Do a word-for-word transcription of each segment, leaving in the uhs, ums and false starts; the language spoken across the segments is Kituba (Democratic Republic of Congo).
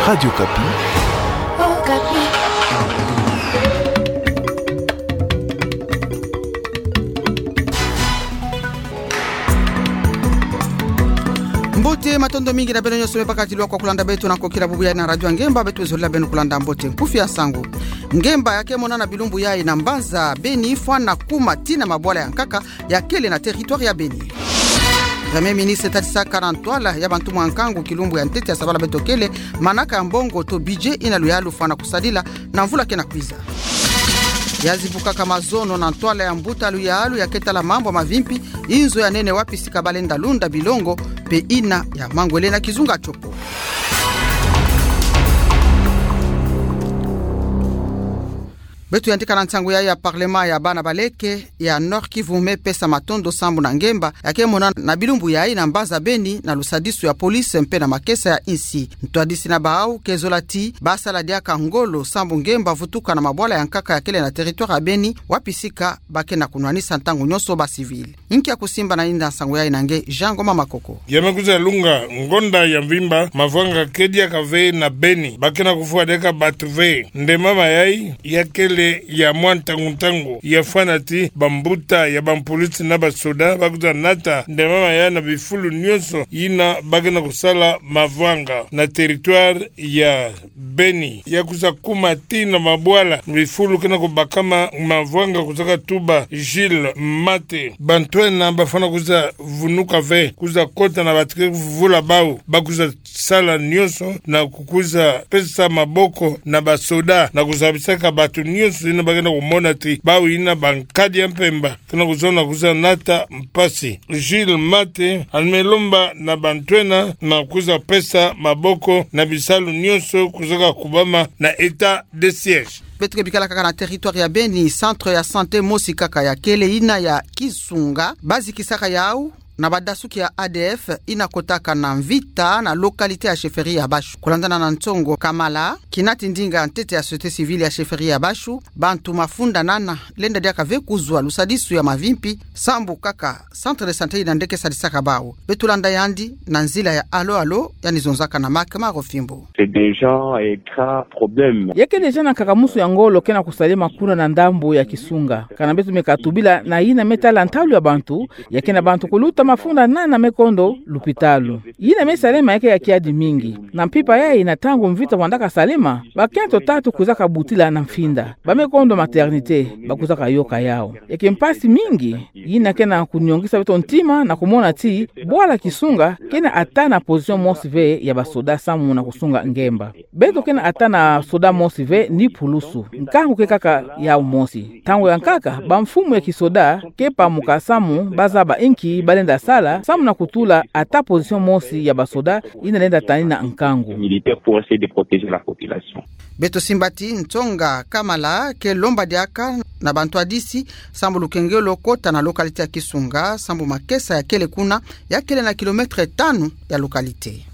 Radio Okapi. Okapi. Mbote, matondo mingi na beno nyonso me bakadilwa kwa kulanda beto na kokila bubu yayi na Radio Ngemba. Beto zolila beno kulanda mbote. Nkufi ya nsangu. Ngemba ya kemona na bilumbu yayi na mbanza Beni fwana kuma tii na mabwala ya nkaka ya kele na territoire ya Beni. Premier ministre tadisaka na ntwala ya bantumwa nkangu kilumbu ya ntete ya sabala beto kele manaka ya mbongo to budget ina luyalu fwana kusadila na mvula kena kwiza. Ya zibukaka mazono na ntwala ya mbuta luyalu ya ketala mambu ya mavimpi, inzo ya nene wapi sika balenda lunda bilongo, pe ina ya mangwele na kizunga tiopo. Beto yandika na nsangu yayi ya parlement ya bana baleke ya Nord-Kivu me pesa matondo sambu na ngemba ya kemona na bilumbu yayi na mbanza Beni na lusadisu ya police mpe na makesa ya insi. Ntwadisi na bawu ke zola ti basala diaka ngolo sambu ngemba vutuka na mabwala ya nkaka ya kele na territoire ya Beni, wapi sika ba kena kunwanisa ntangu nyonso ba civil. Inki ya kusimba na yinda nsangu yayi na nge Jean Ngoma Makoko. Ya me kwiza lunga ngonda ya mvimba, mavanga ke diaka ve na Beni, ba kena kufwa diaka batu ve. Nde mama yayi ya kele ya mwa ntangu-ntangu, ya fwana ti bambuta ya bapolisi na basoda ba kwiza nata nde mama yayi na bifulu nyonso yina ba kena kusala mavanga na territoire ya Beni. Ya kwiza kuma tii na mabwala bifulu kena kubakama mavanga, kwizaka tuba Gilles Mate. Bantu ena ba fwana kwiza vunuka ve, kwiza kota na batu ke vuvula bawu, ba kwiza sala nyonso na kukwiza pesa maboko na basoda na kuzabisaka batu nyonso yina ba kena kumona ti bawu yina bankadi ya mpemba kena kuzona kwiza nata mpasi. Gilles Mate yandi me lomba na bantu ena na kwiza pesa maboko na bisalu nyonso kwizaka kubama na état de siège. Beto ke bikala kaka na territoire ya Beni, centre ya santé mosi kaka ya kele, yina ya Kisunga, ba zikisaka yawu na badasuki ya A D F yina kotaka na mvita na localité ya chefferie ya Bashu. Kulandana na Ntsongo Kamala, kinati ndinga ya ntete ya société civile ya chefferie ya Bashu, bantu mafunda nana lenda diaka ve kuzwa lusadisu ya mavimpi sambu kaka centre de santé yina nde ke sadisaka bawu. Beto landa yandi na nzila ya allô-allô, yandi zonzaka na Marc Marofimbo. C'est déjà un grand problème. Ya ke déjà na nkakamusu ya ngolo kena kusalema kuna na ndambu ya Kisunga. Kana beto me katubila na yina me tala ntalu ya bantu, ya ke na bantu kuluta mafunda nana me kondo lupitalu. Yina me salema ya ke ya kiadi mingi. Na mpimpa yayi, na ntangu mvita vandaka salema, bakento tatu kwizaka butila na mfinda. Ba me kondo maternité, ba kwizaka yoka yawu. Ya ke mpasi mingi, yina kena kunyongisa beto ntima na kumona ti bwala Kisunga kena ata na position mosi ve ya basoda samu na kusunga ngemba. Beto kena ata na soda mosi ve ni pulusu. Nkangu ke kaka yawu mosi. Ntangu ya nkaka, bamfumu ya kisoda ke pamuka samu ba zaba inki ba lenda sala samu na kutula ata position mosi ya basoda yina lenda tanina nkangu. Militaire pour essayer de protéger la population. Beto simba ti Ntsongo Kamala ke lomba diaka na bantwadisi sambu lukengelo kota na localité ya Kisunga, sambu makesa ya kele kuna, ya kele na kilomètre tanu ya localité.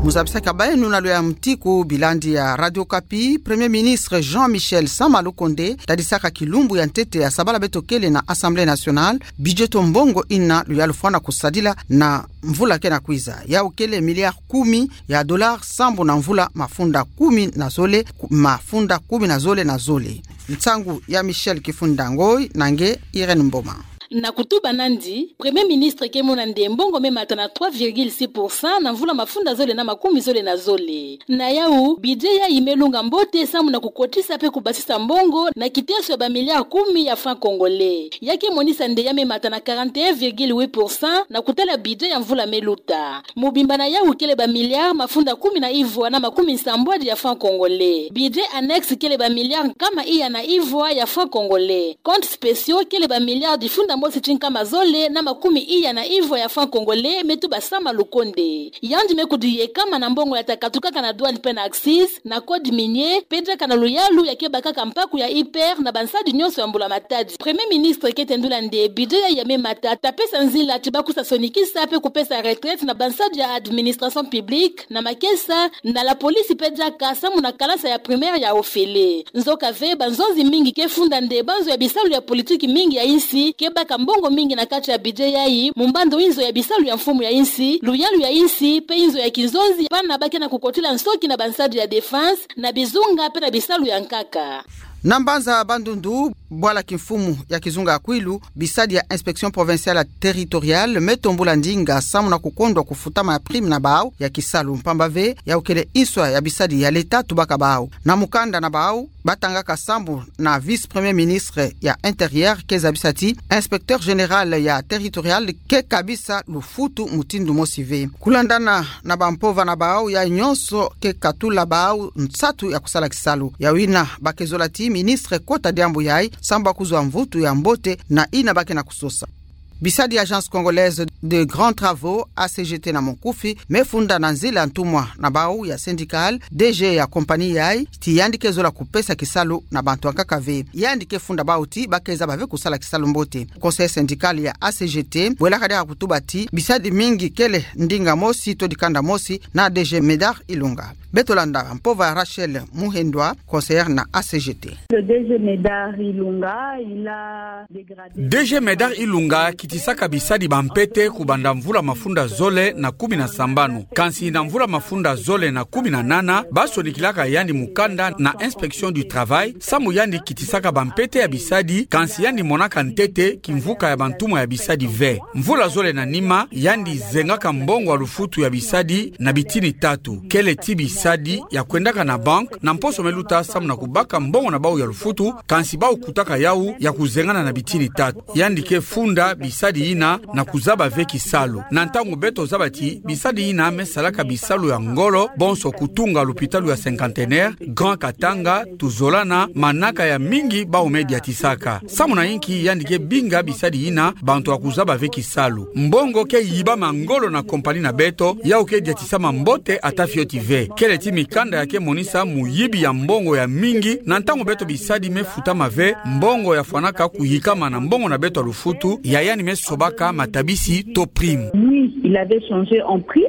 Mu zabisaka bawu na lwe ya mutiku bilandi ya Radio Okapi. Premier ministre Jean-Michel Sama Lukonde tadisaka kilumbu ya ntete ya sabala beto kele na Assemblée nationale budget to mbongo yina luyalu fwana kusadila na mvula kena kwiza. Yawu kele milliard kumi ya dollars sambu na mvula mafunda kumi na zole, ku-, mafunda kumi na zole na zole. Nsangu ya Michel Kifunda Ngoy na nge Irène Mboma. Na kutuba nandi, Premier ministre ke mona nde mbongo me mata na trois virgule six pour cent na mvula mafunda zole na makumi zole na zole. Na yawu, budget yayi me lunga mbote samu na kukotisa pe kubasisa mbongo na kiteso ya ba milliards kumi ya francs congolais. Ya ke monisa nde ya me mata na quarante et un virgule huit pour cent na kutala budget ya mvula me luta. Mobimba na yawu kele ba milliards mafunda kumi na ivwa na makumi nsambwadi ya francs congolais. Budget annexe kele ba milliards nkama iya na ivwa ya francs congolais. Comptes spéciaux kele ba milliards difunda mosi ti nkama zole na makumi iya na ivwa ya francs congolais, me tuba Sama Lukonde. Yandi me kudu yekama na mbongo ya takatukaka na douane pe na accises, na code minier, pe diaka na luyalu ya ke bakaka mpaku ya I P R na bansadi nyonso ya mbula matadi. Premier ministre ke tendula nde budget yayi ya me mata ta pesa nzila ti ba kwisa sonikisa pe kupesa retraite na bansadi ya administration publique, na makesa, na la police pe diaka samu na kalasa ya primaire ya ofele. Nzoka ve, banzonzi mingi ke funda nde banzo ya bisalu ya politique mingi ya insi ke ba ka mbongo mingi na kati ya budget yayi, mu mbandu inzo ya bisalu ya mfumu ya insi, luyalu ya insi, pe inzo ya kinzonzi, bana ba ke na kukotila nsoki na bansadi ya défense, na bizunga pe na bisalu ya nkaka. Na mbanza Bandundu, bwala kimfumu ya kizunga ya Kwilu, bisadi ya Inspection Provinciale Territoriale me tombula ndinga samu na kukondwa kufutama ya prime na bawu ya kisalu, mpamba ve yawu kele inswa ya bisadi ya l'État tubaka bawu. Na mukanda na bawu, batangaka sambu na vice-premier ministre ya Intérieur ke zabisa ti inspecteur général ya territorial ke kabisa lufutu mutindu mosi ve. Kulandana na bampova na bawu, yayi nyonso ke katula bawu nsatu ya kusala kisalu. Yawu yina ba ke zola ti ministre kota diambu yayi, sambu ba kuzwa mvutu ya mbote na yina ba ke na kusosa. Bisadi ya Agence Congolaise de Grands Travaux, A C G T na monkufi, me funda na nzila ntumwa na bawu ya syndical, D G ya compagnie yayi, ti yandi ke zola kupesa kisalu na bantu ya nkaka ve. Yandi ke funda bawu ti ba ke zaba ve kusala kisalu mbote. Conseil syndical ya A C G T bwelaka diaka kutuba ti bisadi mingi kele ndinga mosi to dikanda mosi na D G Médard Ilunga. Beto landa mpova ya Rachel Muhendwa, conseillère na A C G T. Le D G Médard Ilunga, il a dégradé. D G Médard Ilunga akitisaka bisadi bampete kubanda mvula mafunda zole na kumi na sambanu. Kansi na mvula mafunda zole na kumi na nana, ba sonikilaka yandi mukanda na Inspection du Travail, samu yandi kitisaka bampete ya bisadi, kansi yandi monaka ntete kimvuka ya bantumwa ya bisadi ve. Mvula zole na nima, yandi zengaka mbongo ya lufutu ya bisadi na bitini tatu. Kele ti bisadi ya kwendaka na banque, na mposo me luta samu na kubaka mbongo na bawu ya lufutu, kansi bawu kutaka yawu ya kuzengana na bitini tatu. Yandi ke funda bisadi yina na kuzaba ve kisalu. Na ntangu beto zaba ti bisadi yina me salaka bisalu ya ngolo, bonso kutunga lupitalu ya Cinquantenaire, Grand Katanga, tuzolana, manaka ya mingi bawu me diatisaka. Samu na yinki yandi ke binga bisadi yina bantu ya kuzaba ve kisalu? Mbongo ke yibama ngolo na compagnie na beto, yawu ke diatisama mbote ata fioti ve. Kele ti mikanda ya ke monisa muyibi ya mbongo ya mingi, na ntangu beto bisadi me futama ve, mbongo ya fwanaka kuyikama na mbongo na beto ya lufutu, ya yandi me sobaka matabisi to prime. Oui, il avait changé en prime.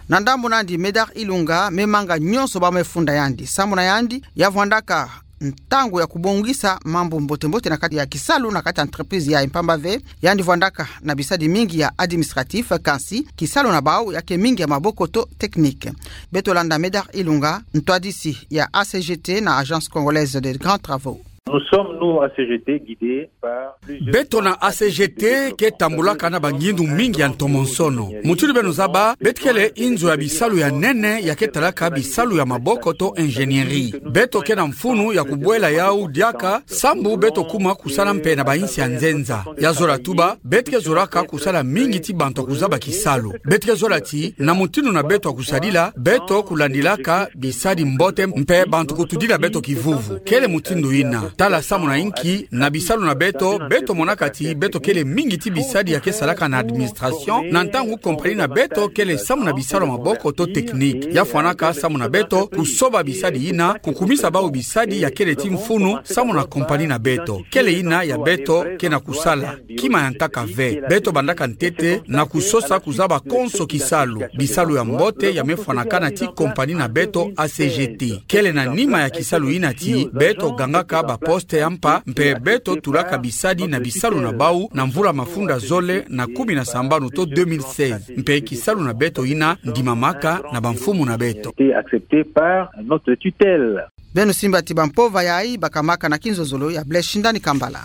Na ndambu nandi, Médard Ilunga me manga nyonso ba me funda yandi. Samu na yandi, ya vwandaka ntangu ya kubongisa mambu mbote-mbote na kati ya kisalu na kati ya entreprise yayi, mpamba ve yandi vwandaka na bisadi mingi ya administratif, kansi kisalu na bawu ya ke mingi ya maboko to technique. Beto landa Médard Ilunga, ntwadisi ya A C G T na Agence Congolaise de Grands Travaux. Nous sommes, nous, A C G T, guidés par plusieurs... Beto na A C G T ke tambulaka na bangindu mingi ya ntomonsono. Mutindu beno zaba, beto kele inzo ya bisalu ya nene ya ke talaka bisalu ya maboko to ingénierie. Beto ke na mfunu ya kubwela yawu diaka, sambu beto kuma kusala mpe na bainsi ya nzenza. Ya zola tuba, beto ke zolaka kusala mingi ti bantu ya kuzaba kisalu. Beto ke zola ti, na mutindu na beto ya kusadila, beto kulandilaka bisadi mbote mpe bantu kutudila beto kivuvu. Kele mutindu yina. Tala samu na yinki, na bisalu na beto, beto monaka ti beto kele mingi ti bisadi ya ke salaka na administration, na ntangu compagnie na beto kele samu na bisalu ya maboko to technique. Ya fwanaka samu na beto kusoba bisadi yina, kukumisa bawu bisadi ya kele ti mfunu samu na compagnie na beto. Kele yina ya beto ke na kusala kima ya nkaka ve. Beto bandaka ntete na kusosa kuzaba konso kisalu, bisalu ya mbote ya me fwanakana ti compagnie na beto A C G T. Kele na nima ya kisalu yina ti beto gangaka baposte ya mpa, mpe beto tulaka bisadi na bisalu na bawu na mvula mafunda zole na kumi na sambanu to deux mille seize. Mpe kisalu na beto yina ndimamaka na bamfumu na beto. Été accepté par notre tutelle. Beno simba ti bampova yayi bakamaka na kinzozolo ya Blaise Shindani Kambala.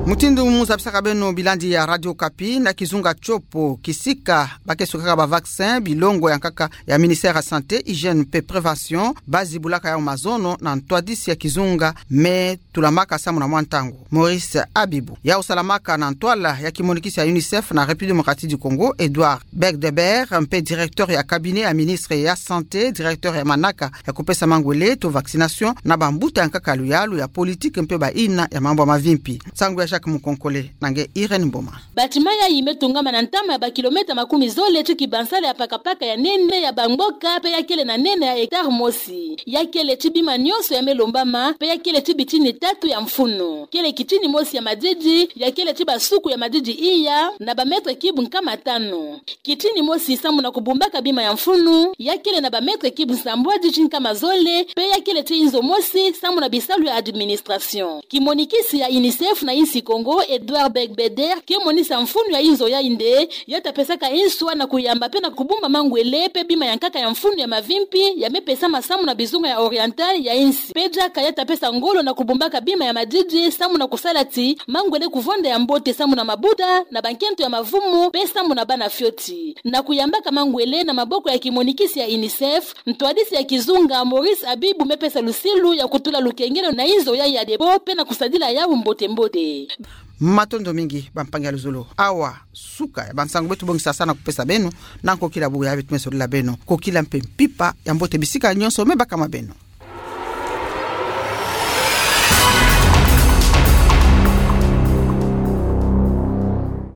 Mutindu mu zabisaka beno bilandi ya Radio Okapi, na kizunga Tshopo, kisika ba ke sukaka ba vaccin, bilongo ya nkaka ya ministère ya Santé, Hygiène mpe Prévention ba zibulaka yawu mazono na ntwadisi ya kizunga me tulamaka samu na mwa ntangu, Maurice Abibou. Yawu salamaka na ntwala ya kimonikisi ya UNICEF na République Démocratique du Congo, Edouard Begdebert, mpe directeur ya cabinet ya ministre ya Santé, directeur ya manaka ya kupesa mangwele to vaccination, na bambuta ya nkaka luyalu ya politique mpe bayina ya mambu ya mavimpi. Nsangu ya Jacques Mukonkole na nge Irène Mboma. Bâtiment yayi me tungama na ntama ya bakilomètre makumi zole ti kibansala ya pakapaka ya nene ya bamboka mpe ya kele na nene ya hectare mosi. Ya kele ti bima nyonso ya me lombama, mpe ya kele ti bitini tatu ya mfunu. Kele kitini mosi ya madidi, ya kele ti basuku ya madidi iya, na ba mètres cubes nkama tanu. Kitini mosi samu na kubumbaka bima ya mfunu, ya kele na ba mètres cubes nsambwadi ti nkama zole, pe ya kele ti inzo mosi samu na bisalu ya administration. Kimonikisi ya UNICEF na insi Kongo, Edouard Beigbeder, ke monisa mfunu ya inzo ya inde, ya ta pesaka inswa na kuyamba pe na kubumba mangwele pe bima ya nkaka ya mfunu ya mavimpi, ya me pesama samu na bizunga ya Oriental ya insi. Pe diaka ya ta pesa ngolo na kubumbaka bima ya madidi, samu na kusala ti mangwele kuvonda ya mbote samu na mabuta, na bankento ya mavumu, pe samu na bana fioti. Na kuyambaka mangwele na maboko ya kimonikisi ya UNICEF, ntwadisi ya kizunga Maurice Abibou me pesa lusilu ya kutula lukengelo na inzo ya ya debo pe na kusadila yau mbote mbote. Matondo mingi, bampangi ya luzolo. Awa, suka ya bansangu beto bongisa sa na kupesa beno, na nkokila bubu ya beto me solila beno. Kokila mpe mpimpa ya mbote bisika nyonso me bakama beno.